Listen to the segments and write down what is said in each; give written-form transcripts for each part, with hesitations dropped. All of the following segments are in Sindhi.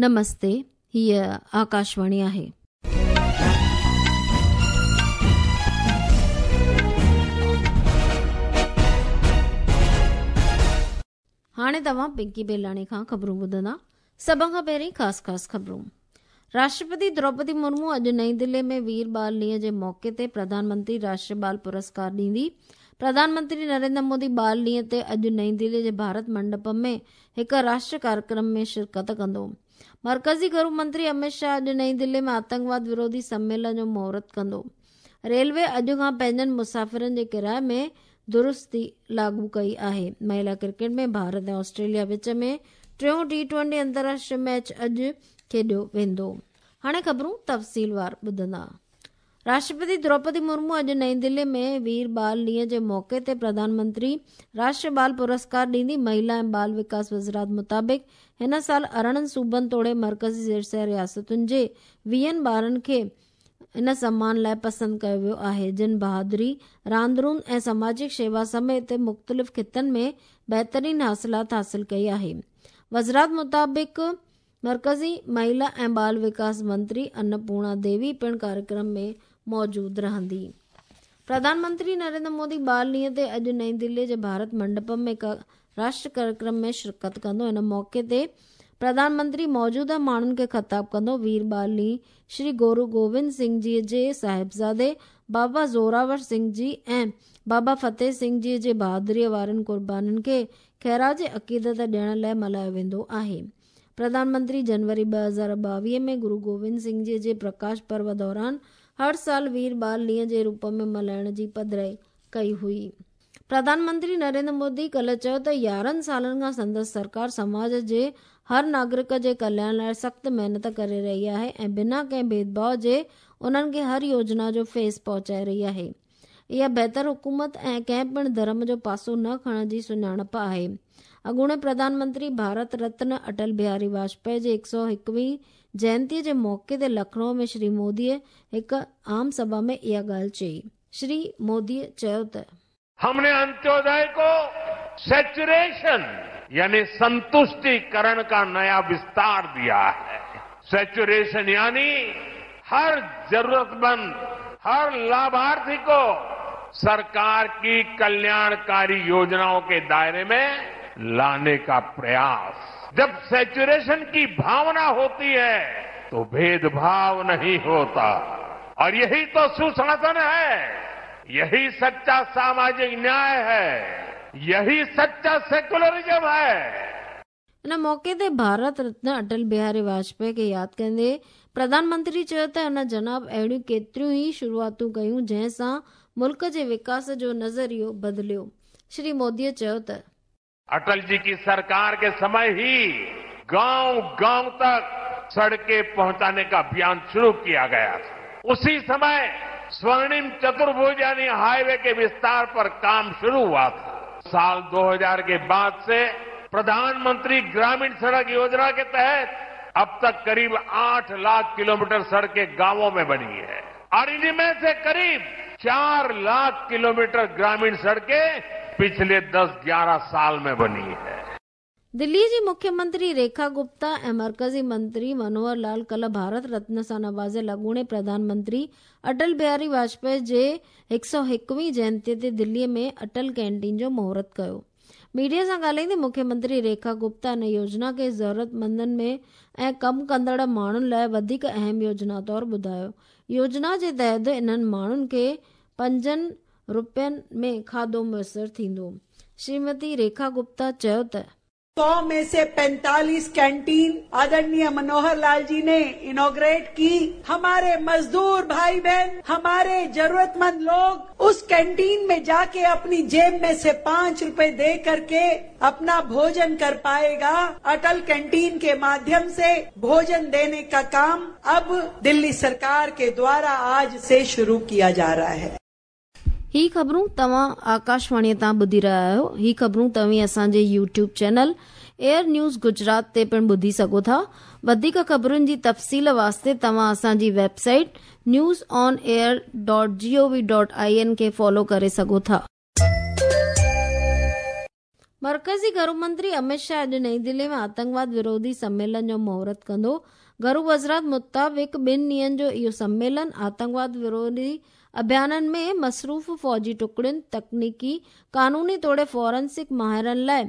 نمستي، هيء آڪاشواڻي آهي. هاڻي توهان پنڪي بيلاڻي کان خبرون ٻڌندا. سڀ کان پهرين خاص خاص خبرون. راشٽرپتي دروپدي مرمو اڄ نئين دلي ۾ وير بال ڏينهن جي موقعي تي پرڌان منتري راشٽري بال پرسڪار ڏيندي. پرڌان منتري نريندر مودي بال ڏينهن تي اڄ نئين دلي جي ڀارت منڊپم ۾ هڪ راشٽري ڪاريڪرم ۾ شرڪت ڪندو. مرڪزي گهرو منتري امت شاهه اڄ نئين دلي ۾ آتنڪواد وروڌي سميلن جو مهورت ڪندو. ريلوي اڄ کان پنهنجن مسافرن جي ڪرايي ۾ درستي لاڳو ڪئي آهي. مهلا ڪرڪيٽ ۾ ڀارت ۽ آسٽريليا وچ ۾ ٽيون ٽي ٽوئنٽي انترراشٽري ميچ اڄ کيڏيو ويندو. هاڻي خبرون تفصيلوار ٻڌندا. راشٽرپتي دروپدي مرمو اڄ نئين دلي ۾ وير بال ڏينهن جي موقعي تي پرڌان منتري راشٽري بال پرسڪار ڏيندي. مهلا ۽ بال وڪاس وزارت مطابق هن سال 18 صوبن توڙي مرڪزي زيرسير رياستن جي ويهن ٻارن کي ان سمان لاء پسند ڪيو ويو آهي، جن بهادري، راندرون ۽ سماجڪ شيوا سميت مختلف خطن ۾ بهترين حاصلات حاصل ڪئي آهي. وزارت مطابق مرڪزي مهلا ۽ ٻال وڪاس منتري ان پورڻا ديوي پڻ ڪاريڪرم ۾ موجود رهندي. پرڌان منتري نريندر مودي ٻال ڏينهن تي اڄ نئين دلي جي ڀارت منڊپم ۾ هڪ راشٽر ڪاريڪرم ۾ شرڪت ڪندو. ان موقعي تي پرڌان منتري موجوده ماڻهن کي خطاب ڪندو. وير ٻال ڏينهن شري گورو گوبند سنگهه جي جي صاحبزادي بابا زوراور سنگهه جي ۽ بابا فتح سنگهه جي جي بهادريء وارين قربانين کي خراج عقيدت ڏيڻ لاء ملهايو ويندو آهي. پرڌان منتري جنوري 2022 ۾ گرو گوبند سنگهه جي جي پرڪاش پرو دوران هر سال وير ٻال ڏينهن جي روپ ۾ ملهائڻ جي پڌرائي ڪئي هئي. پرڌان منتري نريندر مودي ڪلهه چيو ته 11 سالن کان سندس سرڪار سماج جي هر ناگرڪ جي ڪلياڻ لاء سخت محنت ڪري رهي آهي ۽ بنا ڪنهن ڀيدڀاء جي انهن کي هر يوجنا جو فيض پهچائي رهي آهي. اها بهتر حڪومت ۽ ڪنهن پڻ ڌرم جو پاسو نه کڻڻ جي سڃاڻپ آهي. اڳوڻي پرڌان منتري ڀارت رتن اٽل بهاري واجپائي جي 101 وين جينتي جي موقعي تي لکنؤ ۾ شري مودي هڪ عام سڀا ۾ اها ڳالهه چئي. شري مودي چيو ته. هم ني انتيودي ڪو سيچوريشن يعني سنتشٽيڪرڻ ڪا نيا وستار ديا هي. سيچوريشن يعني هر ضرورتمند، هر لاڀارٿي ڪو سرڪار ڪي ڪلياڻڪاري يوجنائون ڪي دائري ۾ لاني ڪا پرياس. جب سيچوريشن ڪي ڀاونا هوتي هي تو ڀيد ڀاو نهين هوتا. اور يهي تو سشاسن هي، يهي سچا ساماجڪ نياء هي، يهي سچا سيڪولرزم هي. ان موقعي تي ڀارت رتن اٽل بهاري واجپائي کي ياد ڪندي پرڌان منتري چيو ته ان جناب اهڙيون ڪيتريون ئي شروعاتون ڪيون جنهن سان ملڪ جي وڪاس جو نظريو بدليو. شري مودي چيو ته. اٽل جي ڪي سرڪار ڪي سمي هي گائون گائون تڪ سڙڪي پهچاني ڪا اڀيان شروع ڪيا گيا ٿا. اسي سمي سورڻم چترڀوج يعني هاء وي ڪي وستار پر ڪام شروع هوا ٿا. سال 2000 ڪي بعد سي پرڌان منتري گرامين سڙڪ يوجنا ڪي تحت اب تڪ قريب 8 لاک ڪلوميٽر سڙڪي گاوون مين بني هي اور انهي مين سي قريب 4 لاک ڪلوميٽر گرامين سڙڪي پڇلي 10 11 سال مين بني هي. دلي جي مکيه منتري ريکا گپتا ۽ مرڪزي منتري منوهر لال ڪلهه ڀارت رتن سان نوازيل اڳوڻي پرڌان منتري اٽل بهاري واجپائي جي 101 وين جينتي تي دلي ۾ اٽل ڪينٽين جو مهورت ڪيو. ميڊيا سان ڳالهائيندي مکيه منتري ريکا گپتا ان يوجنا کي ضرورتمندن ۾ ۽ ڪم ڪندڙ ماڻهن لاء وڌيڪ اهم يوجنا طور ٻڌايو. يوجنا جي تحت انهن ماڻهن کي پنجن روپين ۾ کاڌو ميسر ٿيندو. شريمتي ريکا گپتا چيو ته. 100 مين سي 45 ڪينٽين آدرڻيه منوهر لال جي ني انوگريٽ ڪي، هماري مزدور ڀائي بهن، هماري ضرورتمند لوگ اس ڪينٽين مين جاڪي اپني جيب مين سي 5 روپي the ڪرڪي اپنا ڀوجن ڪر پائي گا، اٽل ڪينٽين ڪي ماڌيم سي ڀوجن ديني ڪا ڪام اب دلي سرڪار ڪي دوارا آج سي شروع ڪيا جا رها هي. هي خبرون توهان آڪاشواڻي تان ٻڌي رهيا آهيو. هي خبرون توهين اسان جي YouTube channel AIR news Gujarat تي پڻ ٻڌي سگهو ٿا. وڌيڪ خبرن جي تفصيل واسطي توهان اسان جي website news on air dot G O V dot I N کي فالو ڪري سگهو ٿا. مرڪزي گهرو منتري امت شاهه اڄ نئين دهلي ۾ آتنڪواد وروڌي سميلن جو مهورت ڪندو. گهرو وزارت مطابق ٻن ڏينهن جو اهو سميلن آتنڪواد وروڌي اڀيانن ۾ مصروف فوجي ٽڪڙين، تڪنيڪي، قانوني توڙي فورنسڪ ماهرن لاء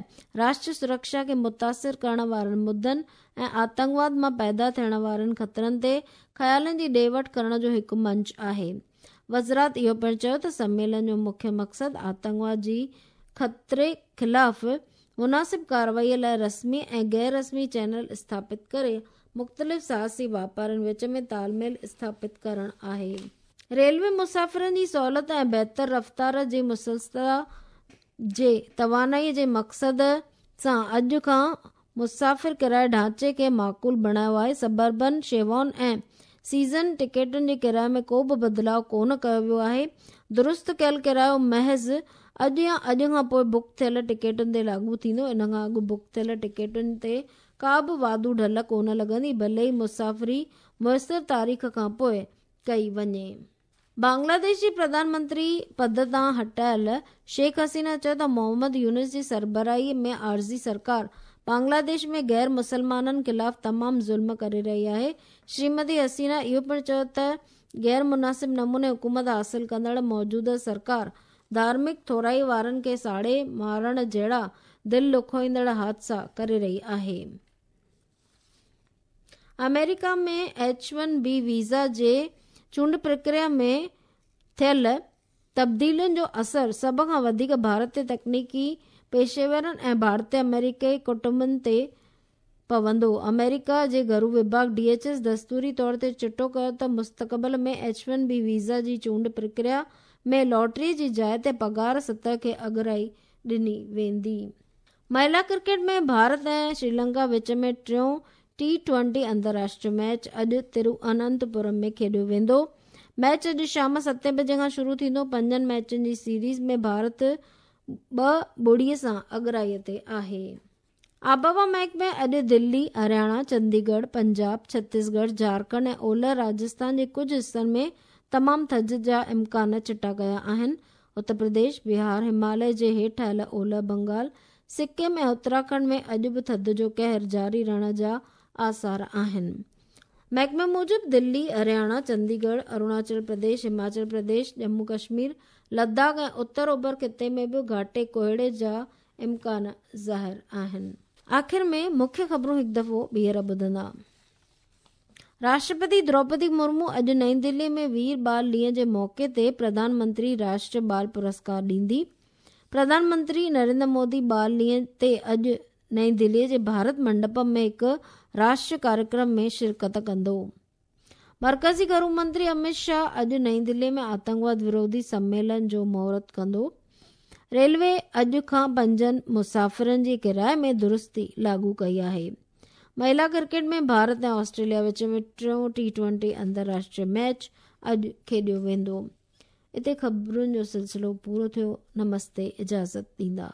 راشٽر سرڪشا کي متاثر ڪرڻ وارن مدن ۽ آتنڪواد مان پيدا ٿيڻ وارن خطرن تي خيالن جي ڏي وٺ ڪرڻ جو هڪ منچ آهي. وزارت اهو پڻ چيو ته سميلن جو مکيه مقصد آتنڪواد جي خطري خلاف مناسب ڪارروائي لاء رسمي ۽ غير رسمي چينل اسٿاپت ڪري مختلف ساهسي واپارين وچ ۾ تال ميل اسٿاپت ڪرڻ آهي. ريلوي مسافرن جي سهولت ۽ بهتر رفتار جي مسلسله جي توانائي جي مقصد سان اڄ کان مسافر ڪرائي ڍانچي کي معقول بڻايو آهي، سبربن شيوائن ۽ سيزن ٽڪيٽن جي ڪرائي ۾ ڪو به بدلاء ڪونه ڪيو ويو آهي، درست ڪيل ڪرايو محض اڄ يا اڄ کان پوء بڪ ٿيل ٽڪيٽن تي لاڳو ٿيندو، ان کان اڳ بڪ ٿيل ٽڪيٽن تي ڪا به واڌو ڍل ڪونه لڳندي، ڀلي ئي مسافري ميسر تاريخ کان پوء ڪئي وڃي. بنگلاديش جي پرڌان منتري پد تان هٽايل شيخ حسينه چيو ته محمد يونس جي سربراهي ۾ عارضي سرڪار بنگلاديش ۾ غير مسلمانن خلاف تمام ظلم ڪري رهي آهي. شريمتي حسينه اهو پڻ چيو ته غير مناسب نموني حڪومت حاصل ڪندڙ موجوده سرڪار ڌارمڪ ٿورائي وارن کي ساڙي مارڻ جهڙا دل ڏکوئيندڙ حادثا ڪري رهي آهي. آمريڪا ۾ ايڇ ون بي ويزا جي چونڊ پرڪريا ۾ ٿيل تبديلين جو اثر سڀ کان وڌيڪ ڀارتي تڪنيڪي پيشيورن ۽ ڀارتي آمريڪي ڪٽنبن تي پوندو. آمريڪا جي گهرو وڀاڳ ڊي ايڇ ايس دستوري طور تي چٽو ڪيو ته مستقبل ۾ ايڇ ون بي ويزا جي چونڊ پرڪريا ۾ لاٽري جي جاء تي پگهار سطح کي اڳرائي ڏني ويندي. مهلا ڪرڪيٽ ۾ ڀارت ۽ شريلنڪا وچ ۾ ٽيون ٽي ٽوئنٽي انترراشٽري ميچ اڄ ترواننتپورم ۾ کيڏيو ويندو. ميچ اڄ شام ستين بجي کان شروع ٿيندو. پنجن ميچن جي سيريز ۾ ڀارت ٻه ٻڙي سان اڳرائي تي آهي. آبهوا محڪمي اڄ دلي، هرياڻا، چنديڳڙهه، پنجاب، ڇتيسڳڙهه، جهارکنڊ ۽ اولهه راجسٿان جي ڪجهه حصن ۾ تمام ٿڌ جا امڪان چٽا ڪيا آهن. اتر پرديش، بهار، هماليه جي هيٺ آيل اولهه بنگال، سڪم ۽ اتراکنڊ ۾ اڄ به ٿڌ جو قهر جاري رهڻ جا آثار آهن. محڪمي موجب دلي، هرياڻا، چنديڳڙهه، اروناچل پرديش، هماچل پرديش، ڄمون ڪشمير، لداخ ۽ اتر اوڀر خطي ۾ به گهاٽي ڪوهيڙي جا امڪان ظاهر آهن. آخر ۾ مکيه خبرون هڪ دفعو ٻيهر ٻڌندا. راشٽرپتي دروپدي مرمو اڄ نئين دهلي ۾ وير بال ڏينهن جي موقعي تي پرڌان منتري راشٽر بال پرسڪار ڏيندي. پرڌان منتري نريندر مودي بال ڏينهن تي اڄ نئين دهلي جي ڀارت منڊپم ۾ هڪ راشٽر ڪاريڪرم ۾ شرڪت ڪندو. مرڪزي گهرو منتري امت شاهه اڄ نئين دهلي ۾ آتنڪواد وروڌي سميلن جو مهورت ڪندو. ريلوي اڄ کان پنجن مسافرن جي ڪرائي ۾ درستي لاڳو ڪئي آهي. مهلا ڪرڪيٽ ۾ ڀارت ۽ آسٽريليا وچ ۾ ٽيون ٽي ٽوئنٽي انترراشٽري ميچ اڄ کيڏيو ويندو. اتي خبرن جو سلسلو پورو ٿيو. نمستي اجازت ڏيندا.